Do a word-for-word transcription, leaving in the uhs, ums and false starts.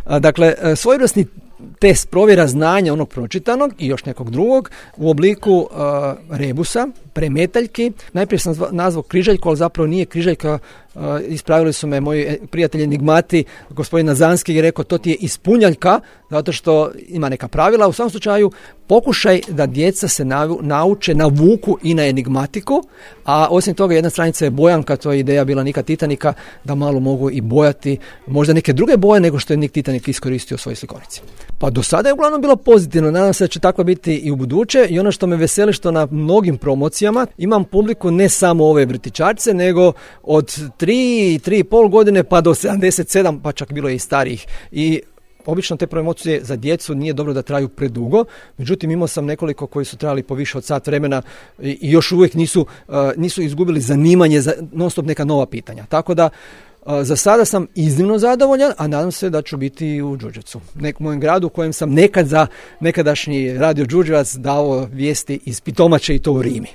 Dakle, svojevrsni test provjera znanja onog pročitanog i još nekog drugog u obliku uh, rebusa, premetaljki. Najprije sam nazvao križaljku, ali zapravo nije križaljka. Uh, ispravili su me moji prijatelji enigmati, gospodin Nazanski je rekao to ti je ispunjaljka, zato što ima neka pravila. U svakom slučaju pokušaj da djeca se navu, nauče, navuku i na enigmatiku, a osim toga jedna stranica je bojanka, to je ideja bila Nika Titanika, da malo mogu i bojati možda neke druge boje nego što je Nik Titanik iskoristio u svojoj slikovnici. Pa do sada je uglavnom bilo pozitivno, nadam se da će tako biti i u buduće i ono što me veseli što na mnogim promocijama imam publiku ne samo ove vrtićarce, nego od tri, tri i pol godine pa do sedamdeset sedam, pa čak bilo je i starijih. I obično te promocije za djecu nije dobro da traju predugo, međutim imao sam nekoliko koji su trajali po više od sat vremena i, i još uvijek nisu, uh, nisu izgubili zanimanje za non stop neka nova pitanja. Tako da za sada sam iznimno zadovoljan, a nadam se da ću biti u Đurđevcu, nekom mojem gradu u kojem sam nekad za nekadašnji radio Đurđevac dao vijesti iz Pitomače i to u Rimi.